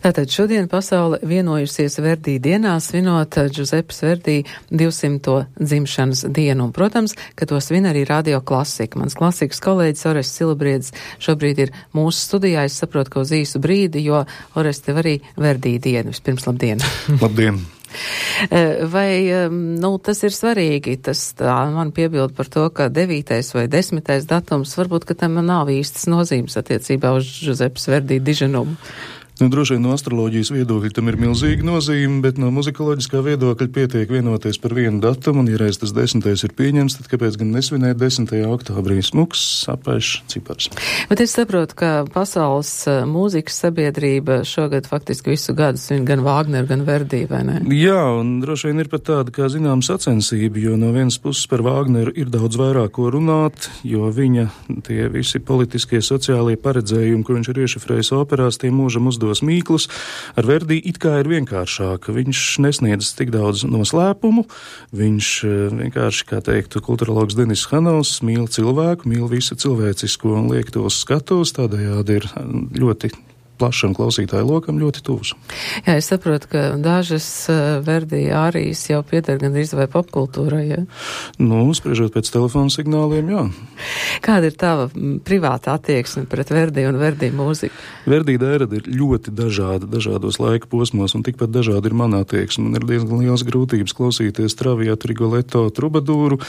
Tātad šodien pasaule vienojusies Verdī dienā svinot Džuzepes Verdī 200. dzimšanas dienu. Un, protams, ka to svin arī Radio Klasika. Mans klasikas kolēģis Orests Silabriedis šobrīd ir mūsu studijā. Es saprotu, ka uz īsu brīdi, jo Orest tev arī Verdī dienu. Vispirms labdien! Labdien! Vai, tas ir svarīgi, tas tā man piebild par to, ka 9. vai 10. datums, varbūt, ka tam nav īstas nozīmes attiecībā uz Džuzepes Verdī diženumu. Droši vien no astroloģijas viedokļa tam ir milzīga nozīme, bet no muzikoloģiskā viedokļa pietiek vienoties par vienu datumu, un, ja reiz tas 10. ir pieņems, tad kāpēc gan nesvinēt 10. oktobrī? Smuks, apaišs cipars. Bet es saprotu, ka pasaules mūzikas sabiedrība šogad faktiski visu gadu svin gan Vāgneru, gan Verdī, vai ne? Jā, un droši vien ir pat tāda, kā zinām, sacensība, jo no vienas puses par Vāgneru ir daudz vairāk ko runāt, jo viņa tie visi politiskie, sociālie paredzējumi, ko viņš ir iešifrējis operās, tie mūžam uzdos mīklus. Ar Verdī it kā ir vienkāršāk. Viņš nesniedz tik daudz noslēpumu. Viņš vienkārši, kā teiktu kulturologs Denis Hanovs, mīl cilvēku, mīl visu cilvēcisko un liek tos skatos. Tādējādi ir ļoti plašam klausītāju lokam ļoti tuvs. Jā, es saprotu, ka dažas Verdī ārijas jau pieder gandrīz vai popkultūrai, ja? Spriežot pēc telefona signāliem, jā. Kāda ir tava privāta attieksme pret Verdī un Verdī mūziku? Verdī dērada ir ļoti dažāda, dažādos laika posmos, un tikpat dažāda ir mana attieksme. Man ir diezgan liels grūtības klausīties Traviatu, Rigoletto, Trubadūru.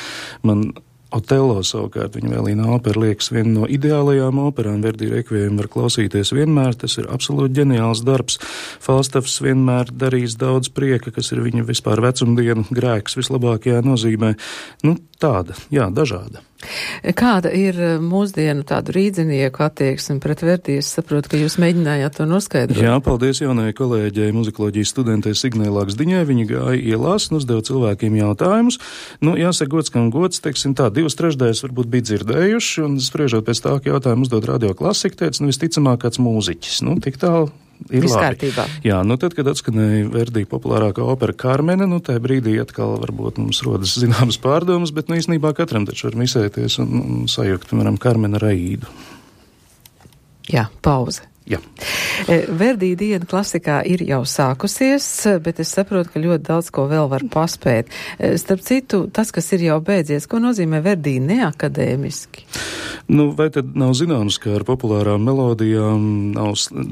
Man Otello savukārt, viņa vēlīnā opera liekas viena no ideālajām operām. Verdī rekviem var klausīties vienmēr, tas ir absolūti ģeniāls darbs. Falstafs vienmēr darīs daudz prieka, kas ir viņa vispār vecumdienu grēks vislabākajā nozīmē. Tāda, jā, dažāda. Kāda ir mūsdienu tādu rīdzinieku attieksme pret Verdī? Es saprotu, ka jūs mēģinājāt to noskaidrot. Jā, paldies jaunajai kolēģei, muzikoloģijas studentei Signai Laksdiņai. Viņa gāja ielās un uzdeva cilvēkiem jautājumus. Jāsaka gods, kam gods, teiksim tā, 2/3 varbūt bija dzirdējuši, un spriežot pēc tā, ka jautājumu uzdod Radio Klasika, teica, visticamāk kāds mūziķis. Tik tālu. Ir labi. Jā, tad, kad atskanēja Verdī populārākā opera Karmene, tajā brīdī atkal varbūt mums rodas zināmas pārdomas, bet īstenībā katram taču var misēties un sajukt, piemēram, Karmena ar Aīdu. Jā, pauze. Jā. Verdī diena klasikā ir jau sākusies, bet es saprotu, ka ļoti daudz ko vēl var paspēt. Starp citu, tas, kas ir jau beidzies, ko nozīmē Verdī neakadēmiski? Vai tad nav zināms, ka ar populārām melodijām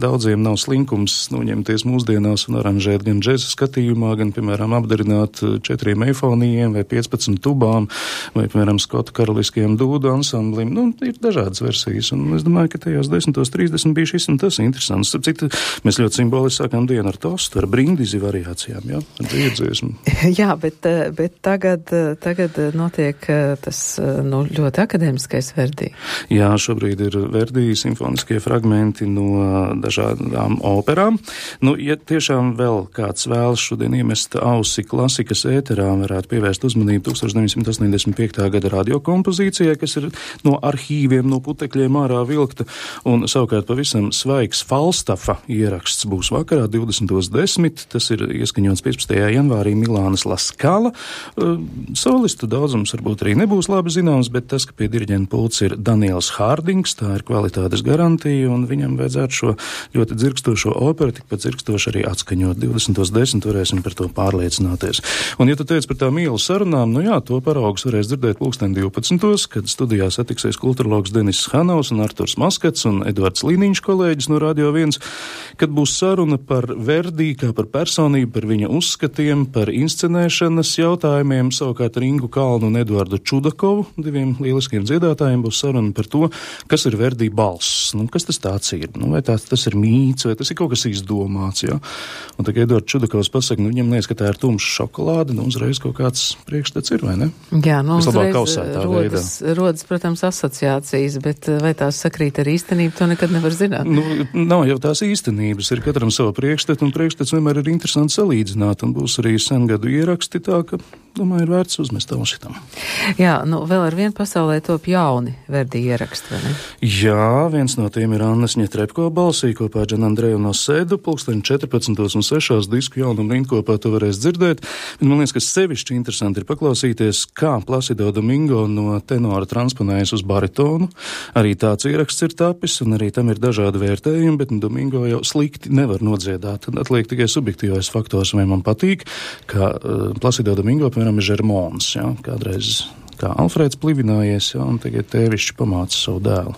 daudziem nav slinkums ņemties mūsdienās un aranžēt gan džeza skatījumā, gan, piemēram, apdarināt 4 eifonijiem vai 15 tubām, vai, piemēram, Skotu karaliskajiem dūdu ansamblim. Ir dažādas versijas, un es domāju, ka tajos 10:30 bija šis un tas interesants. Starp citu, mēs ļoti simboliski sākām dienu ar tostu, ar brindisi variācijām, jā, ar dziesmu. Jā, bet tagad notiek tas, ļoti akadēmiskais Verdī. Jā, šobrīd ir Verdī simfoniskie fragmenti no dažādām operām. Ja tiešām vēl kāds vēlas šodien iemest ausi klasikas ēterā, varētu pievērst uzmanību 1985. gada radiokompozīcijai, kas ir no arhīviem, no putekļiem ārā vilkta, un savukārt pavisam svaigs Falstafa ieraksts būs vakarā 20:10. Tas ir ieskaņots 15. janvārī Milānas La Scala. Solistu daudzums varbūt arī nebūs labi zināms, bet tas, ka pie diriģenta pults ir Daniels Hārdings, tā ir kvalitātes garantija, un viņam vajadzētu šo ļoti dzirkstošo operu tikpat dzirkstoši arī atskaņot. 20:10 varēsim par to pārliecināties. Un, ja tu teici par tām ielu sarunām, to paraugus varēs dzirdēt 12:12, kad studijā satiksies kulturologs Denis Hanovs un Arturs Maskats un Edvards Līniņš, kolēģis no Radio 1, kad būs saruna par Verdī kā par personību, par viņa uzskatiem, par inscenēšanas jautājumiem. Savukārt ar Ingu Kalnu un Eduardu Čudakovu, 2 lieliskiem dziedātājiem, būs saruna par to, kas ir Verdī balss. Kas tas tāds ir? Vai tas ir mīts, vai tas ir kaut kas izdomāts, jā? Un tagad Eduards Čudakovs pasaka, viņam liekas, ka tā ir tumša šokolāde, uzreiz kaut kāds priekšstats ir, vai ne? Jā, uzreiz rodas, protams, asociācijas, bet vai tās sakrīt ar īstenību, to nekad nevar zināt. Nav jau tās īstenības, ir katram sava priekšstata, un priekšstats vienmēr ir interesanti salīdzināt, un būs arī sengadu ieraksti tā, ka domāju, ir vērts uzmest ausi tam. Jā, nu vēl ar vienu pasaulē top jauni Verdi ieraksti, vai ne? Jā, viens no tiem ir Annas Ņetrepko balsī kopā ar Džanandreju no Sēdu, 14:14 disku jaunumu rindkopā to varēs dzirdēt. Un man liekas, ka sevišķi interesanti ir paklausīties, kā Placido Domingo no tenora transponējas uz baritonu. Arī tāds ieraksts ir tapis, un arī tam ir dažādi vērtējumi, bet Domingo jau slikti nevar nodziedāt. Tad atliek tikai subjektīvais faktors, vai man patīk, ka Placido Domingo, piemēram, ir Žermons, ja, kādreiz kā Alfrēds plivinājies, ja, un tagad tēvišķi pamāca savu dēlu.